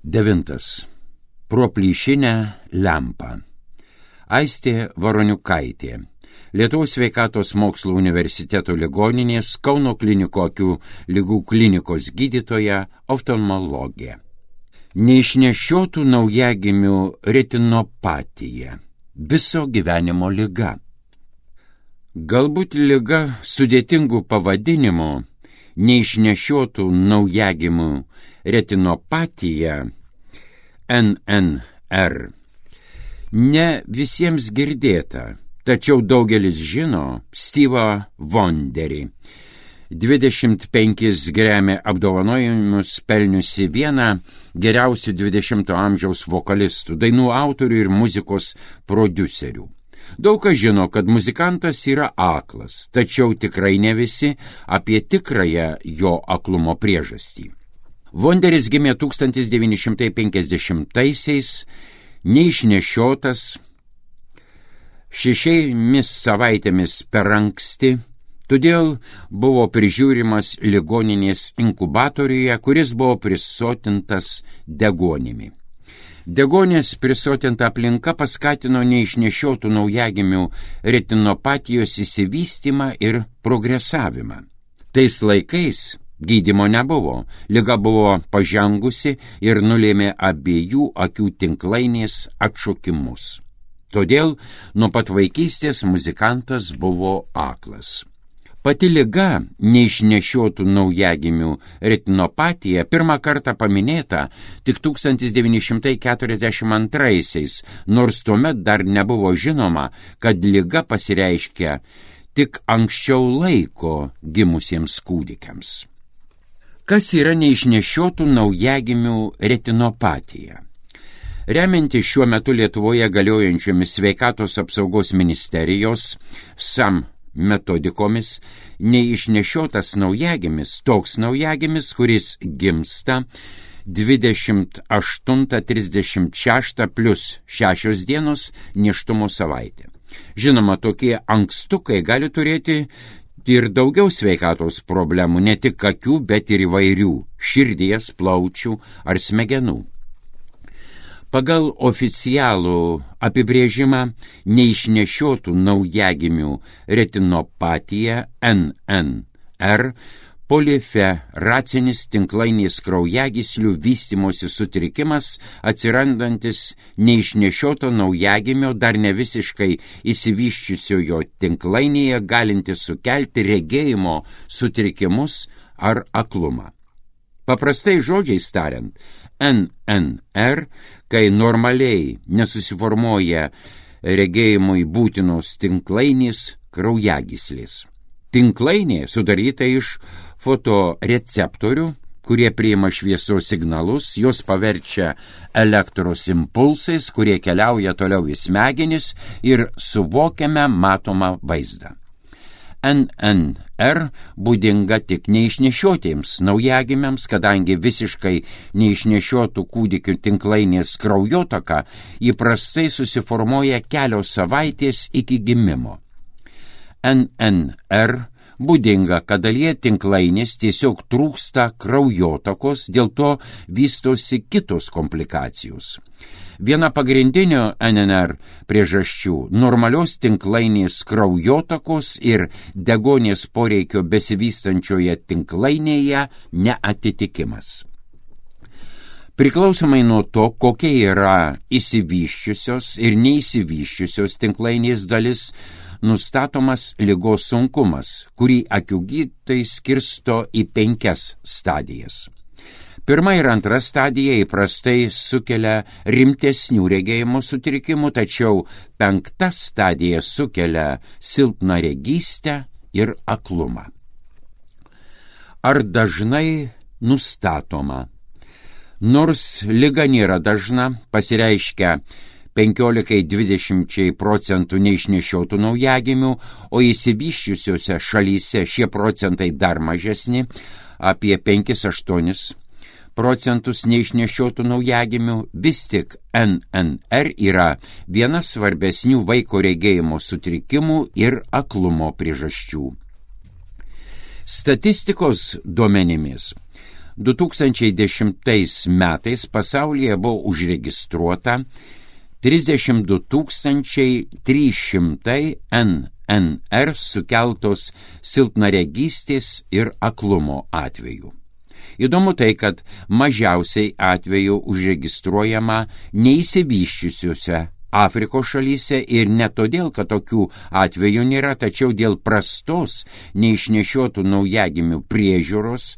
9. Pro plyšinę lempą. Aistė Varoniukaitė, Lietuvos sveikatos mokslų universiteto ligoninės Kauno klinikų akių ligų klinikos gydytoja, oftalmologė. Neišnešiotų naujagimių retinopatija – viso gyvenimo liga. Galbūt liga sudėtingų pavadinimų neišnešiotų naujagimių retinopatija NNR ne visiems girdėta, tačiau daugelis žino Steve'ą Wonderį, 25 Grammy apdovanojimus pelniusi vieną geriausių 20-ojo amžiaus vokalistų, dainų autorių ir muzikos prodiuserių. Daug kas žino, kad muzikantas yra aklas, tačiau tikrai ne visi apie tikrąją jo aklumo priežastį. Wonderis gimė 1950-aisiais, neišnešiotas, 6 savaitėmis per anksti, todėl buvo prižiūrimas ligoninės inkubatoriuje, kuris buvo prisotintas degonimi. Degonės prisotinta aplinka paskatino neišnešiotų naujagimių retinopatijos išsivystymą ir progresavimą. Tais laikais gydymo nebuvo, liga buvo pažengusi ir nulėmė abiejų akių tinklainės atšokimus. Todėl nuo pat vaikystės muzikantas buvo aklas. Pati liga, neišnešiotų naujagimių retinopatija, pirmą kartą paminėta tik 1942-aisiais, nors tuomet dar nebuvo žinoma, kad liga pasireiškia tik anksčiau laiko gimusiems kūdikiams. Kas yra neišnešiotų naujagimių retinopatija? Remiantis šiuo metu Lietuvoje galiojančiomis sveikatos apsaugos ministerijos SAM metodikomis, neišnešiotas naujagimis, toks naujagimis, kuris gimsta 28-36 plus 6 dienos nėštumo savaitė. Žinoma, tokie ankstukai gali turėti ir daugiau sveikatos problemų, ne tik akių, bet ir įvairių širdies, plaučių ar smegenų. Pagal oficialų apibrėžimą neišnešiotų naujagimių retinopatija NNR poliferacinis tinklainės kraujagyslių vystymosi sutrikimas atsirandantis neišnešioto naujagimio dar ne visiškai išsivysčiusiojo tinklainėje galintis sukelti regėjimo sutrikimus ar aklumą. Paprastai žodžiais tariant, NNR, kai normaliai nesusiformuoja regėjimui būtinos tinklainės kraujagyslės. Tinklainė sudaryta iš fotoreceptorių, kurie priima šviesos signalus, jos paverčia elektros impulsais, kurie keliauja toliau į smegenis ir suvokiame matomą vaizdą. NNR būdinga tik neišnešiotiems naujagimiams, kadangi visiškai neišnešiotų kūdikių tinklainės kraujotaka įprastai susiformuoja kelios savaitės iki gimimo. NNR būdinga, kad dalyje tinklainės tiesiog trūksta kraujotakos, dėl to vystosi kitos komplikacijos. Viena pagrindinio NNR priežasčių – normalios tinklainės kraujotakos ir degonės poreikio besivystančioje tinklainėje neatitikimas. Priklausomai nuo to, kokia yra išsivysčiusios ir neįsivysčiusios tinklainės dalis, nustatomas ligos sunkumas, kurį akių gydytojai skirsto į 5 stadijas. Pirma ir antra stadija įprastai sukelia rimtesnių regėjimo sutrikimų, tačiau 5 stadija sukelia silpną regystę ir aklumą. Ar dažnai nustatoma? Nors liga nėra dažna, pasireiškia 15–20% neišnešiotų naujagimių, o išsivysčiusiose šalyse šie procentai dar mažesni, apie 5–8% neišnešiotų naujagimių, vis tik NNR yra viena svarbesnių vaiko regėjimo sutrikimų ir aklumo priežasčių. Statistikos duomenimis 2010 metais pasaulyje buvo užregistruota 32 300 NNR sukeltos silpnaregystės ir aklumo atvejų. Įdomu tai, kad mažiausiai atvejų užregistruojama neįsivysčiusiuose Afrikos šalyse ir ne todėl, kad tokių atvejų nėra, tačiau dėl prastos neišnešiotų naujagimių priežiūros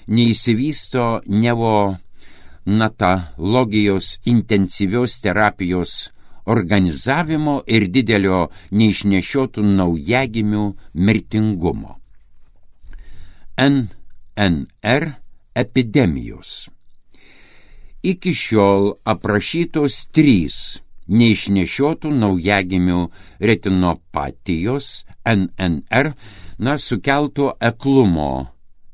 neįsivysto neonatologijos intensyvios terapijos organizavimo ir didelio neišnešiotų naujagimių mirtingumo. NNR epidemijos. Iki šiol aprašytos 3 neišnešiotų naujagimių retinopatijos NNR sukelto aklumo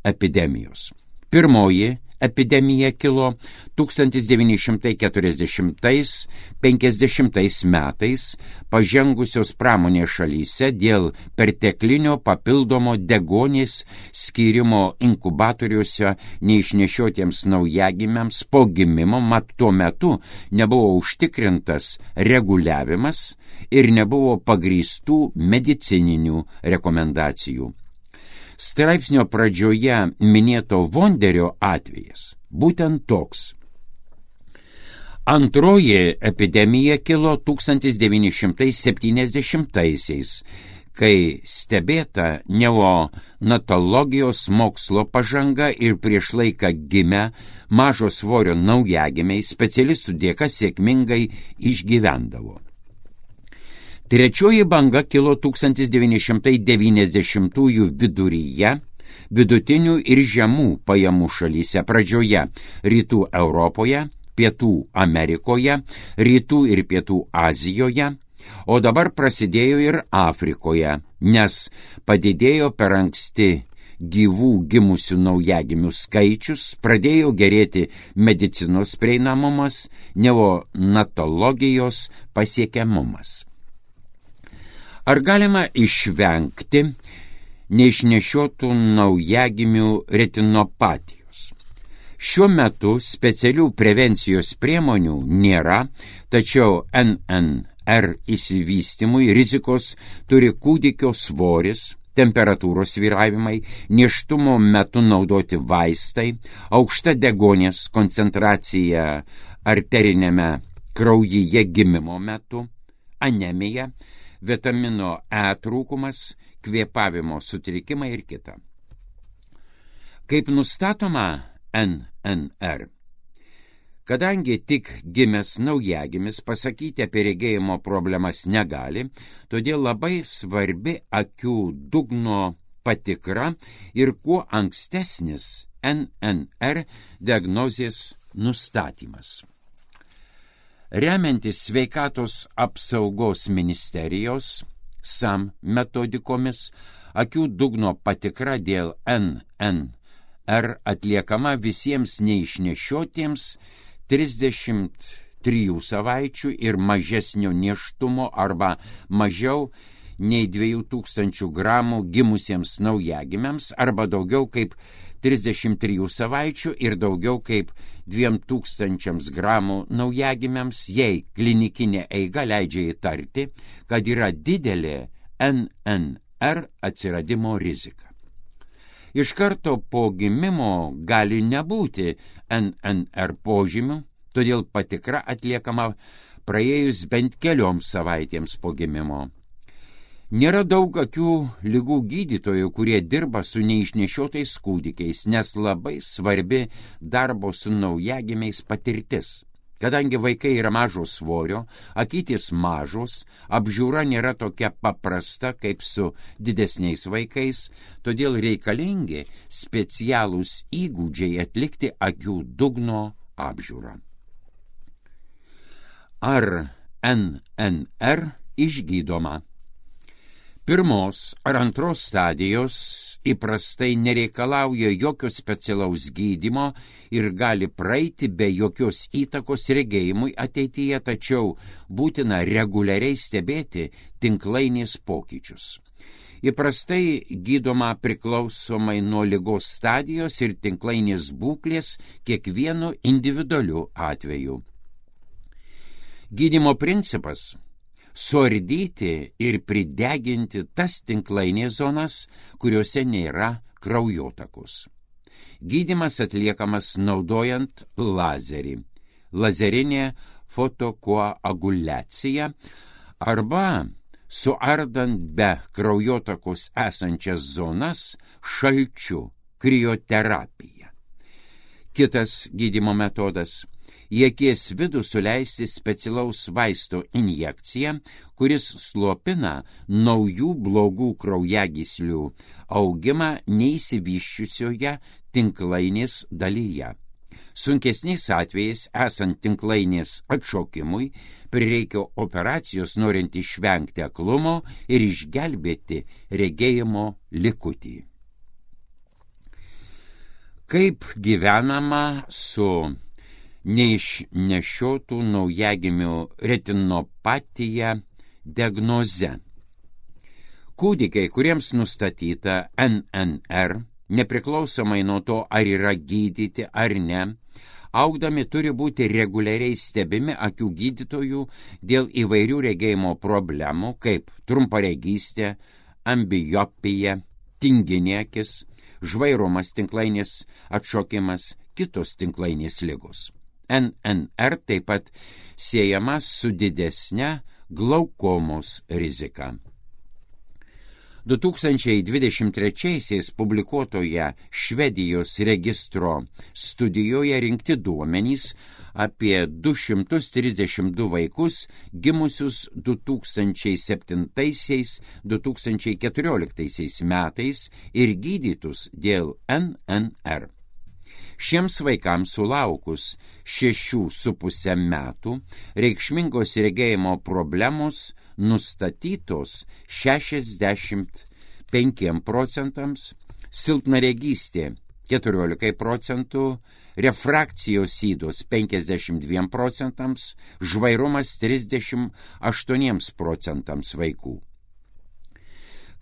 epidemijos. Pirmoji epidemija kilo 1940–50 metais pažengusios pramonės šalyse dėl perteklinio papildomo deguonies skyrimo inkubatoriuose neišnešiotiems naujagimiams po gimimo, mat tuo metu nebuvo užtikrintas reguliavimas ir nebuvo pagrįstų medicininių rekomendacijų. Straipsnio pradžioje minėto Vonderio atvejas būtent toks. Antroji epidemija kilo 1970-aisiais, kai stebėta neonatologijos mokslo pažanga ir prieš laiką gimę mažo svorio naujagimiai specialistų dėka sėkmingai išgyvendavo. Trečioji banga kilo 1990-ųjų viduryje, vidutinių ir žemų pajamų šalyse pradžioje Rytų Europoje, Pietų Amerikoje, Rytų ir Pietų Azijoje, o dabar prasidėjo ir Afrikoje, nes padidėjo per anksti gyvų gimusių naujagimių skaičius, pradėjo gerėti medicinos prieinamumas, neonatologijos pasiekiamumas. Ar galima išvengti neišnešiotų naujagimių retinopatijos? Šiuo metu specialių prevencijos priemonių nėra, tačiau NNR išsivystymui rizikos turi kūdikio svoris, temperatūros svyravimai, nėštumo metu naudoti vaistai, aukšta deguonies koncentracija arterinėme kraujyje gimimo metu, anemija, vitamino E trūkumas, kvėpavimo sutrikimai ir kita. Kaip nustatoma NNR? Kadangi tik gimęs naujagimis pasakyti apie regėjimo problemas negali, todėl labai svarbi akių dugno patikra ir kuo ankstesnis NNR diagnozės nustatymas. Remiantis sveikatos apsaugos ministerijos SAM metodikomis, akių dugno patikra dėl NNR atliekama visiems neišnešiotiems 33 savaičių ir mažesnio nėštumo arba mažiau nei 2000 gramų gimusiems naujagimiams arba daugiau kaip 33 savaičių ir daugiau kaip 2000 gramų naujagimiams, jei klinikinė eiga leidžia įtarti, kad yra didelė NNR atsiradimo rizika. Iš karto po gimimo gali nebūti NNR požymių, todėl patikra atliekama praėjus bent kelioms savaitėms po gimimo. Nėra daug akių ligų gydytojų, kurie dirba su neišnešiotais kūdikiais, nes labai svarbi darbo su naujagimiais patirtis. Kadangi vaikai yra mažo svorio, akytės mažos, apžiūra nėra tokia paprasta kaip su didesniais vaikais, todėl reikalingi specialūs įgūdžiai atlikti akių dugno apžiūrą. Ar NNR išgydoma? Pirmos ar antros stadijos įprastai nereikalauja jokio specialaus gydymo ir gali praeiti be jokios įtakos regėjimui ateityje, tačiau būtina reguliariai stebėti tinklainės pokyčius. Įprastai gydoma priklausomai nuo ligos stadijos ir tinklainės būklės kiekvienu individualiu atveju. Gydymo principas – suardyti ir prideginti tas tinklainės zonas, kuriuose nėra kraujotakos. Gydymas atliekamas naudojant lazerį, lazerinė fotokoaguliacija arba suardant be kraujotakos esančias zonas šalčiu, krioterapija. Kitas gydymo metodas – į akies vidų suleisti specialaus vaisto injekciją, kuris slopina naujų blogų kraujagyslių augimą neišsivysčiusioje tinklainės dalyje. Sunkesniais atvejais, esant tinklainės atšokimui, prireikia operacijos norint išvengti aklumo ir išgelbėti regėjimo likutį. Kaip gyvenama su neišnešiotų naujagimių retinopatija diagnoze? Kūdikiai, kuriems nustatyta NNR, nepriklausomai nuo to, ar yra gydyti ar ne, augdami turi būti reguliariai stebimi akių gydytojų dėl įvairių regėjimo problemų, kaip trumparegystė, ambliopija, tinginė akis, žvairumas, tinklainės atšokimas, kitos tinklainės ligos. NNR taip pat siejama su didesne glaukomos rizika. 2023 publikuotoje Švedijos registro studijoje rinkti duomenys apie 232 vaikus gimusius 2007-2014 metais ir gydytus dėl NNR. Šiems vaikams sulaukus 6,5 metų reikšmingos regėjimo problemos nustatytos 65%, silpnaregystė 14%, refrakcijos ydos 52%, žvairumas 38% vaikų.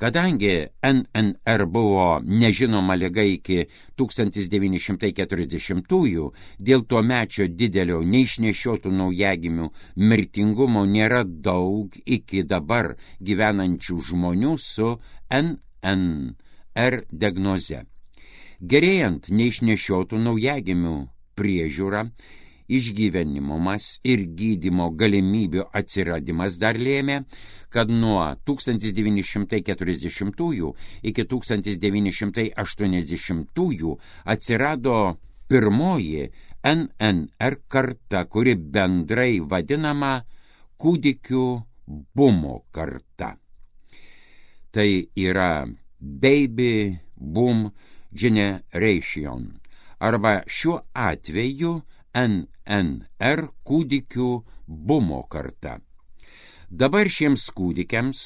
Kadangi NNR buvo nežinoma liga iki 1940-ųjų, dėl tuomečio didelio neišnešiotų naujagimių mirtingumo nėra daug iki dabar gyvenančių žmonių su NNR diagnoze. Gerėjant neišnešiotų naujagimių priežiūra, išgyvenimumas ir gydymo galimybių atsiradimas dar lėmė, kad nuo 1940 iki 1980 atsirado pirmoji NNR karta, kuri bendrai vadinama kūdikių bumo karta. Tai yra Baby Boom Generation, arba šiuo atveju NNR kūdikių bumo karta. Dabar šiems kūdikiams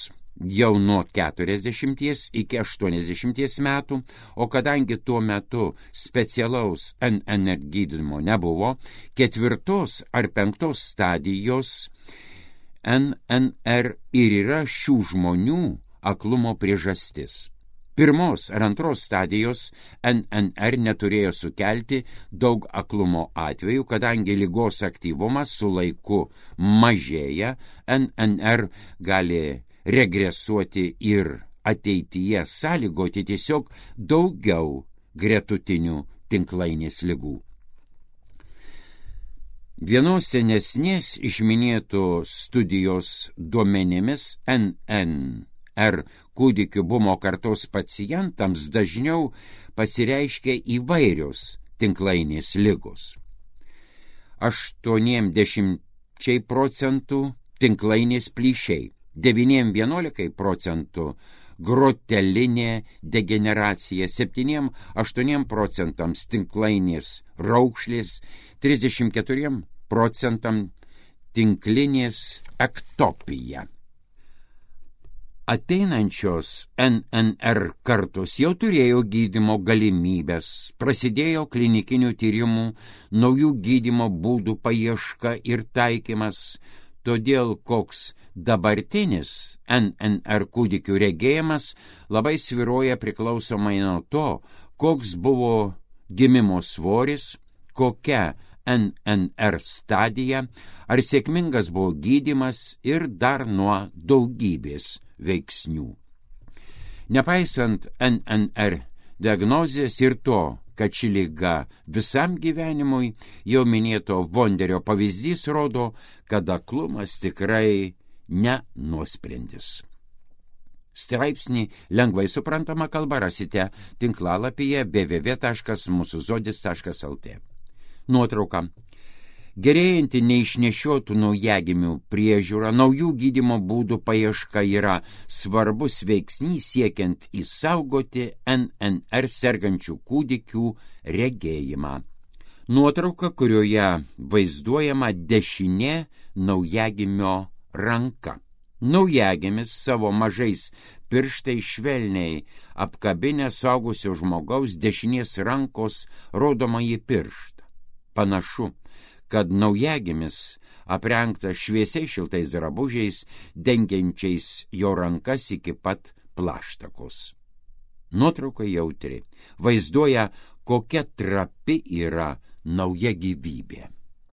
jau nuo 40 iki 80 metų, o kadangi tuo metu specialaus NNR gydymo nebuvo, 4. ar 5. stadijos NNR ir yra šių žmonių aklumo priežastis. 1. ar 2. stadijos NNR neturėjo sukelti daug aklumo atvejų, kadangi ligos aktyvumas su laiku mažėja, NNR gali regresuoti ir ateityje sąlygoti tiesiog daugiau gretutinių tinklainės ligų. Vienos senesnės išminėtų studijos duomenimis NNR kūdikių bumo kartos pacientams dažniau pasireiškia įvairios tinklainės ligos. 80% tinklainės plyšiai, 9–11% grotelinė degeneracija, 7–8% tinklainės raukšlės, 34% tinklinės ektopija. Ateinančios NNR kartos jau turėjo gydymo galimybės, prasidėjo klinikinių tyrimų, naujų gydymo būdų paieška ir taikymas, todėl koks dabartinis NNR kūdikių regėjimas labai svyruoja priklausomai nuo to, koks buvo gimimo svoris, kokia NNR stadija, ar sėkmingas buvo gydymas ir dar nuo daugybės veiksnių. Nepaisant NNR diagnozės ir to, kad ši liga visam gyvenimui, jau minėto Vonderio pavyzdys rodo, kad aklumas tikrai ne nuosprendis. Straipsnį lengvai suprantama kalba rasite tinklalapyje www.musuzodis.lt. Nuotrauka. Gerėjanti neišnešiotų naujagimių priežiūra, naujų gydymo būdų paieška yra svarbus veiksnys siekiant išsaugoti NNR sergančių kūdikių regėjimą. Nuotrauka, kurioje vaizduojama dešinė naujagimio ranka. Naujagimis savo mažais pirštais švelniai apkabinę suaugusio žmogaus dešinės rankos rodomąjį pirštą. Panašu, kad naujagimis aprengtas šviesiai šiltais drabužiais, dengiančiais jo rankas iki pat plaštakos. Nuotrauka jautri, vaizduoja, kokia trapi yra nauja gyvybė.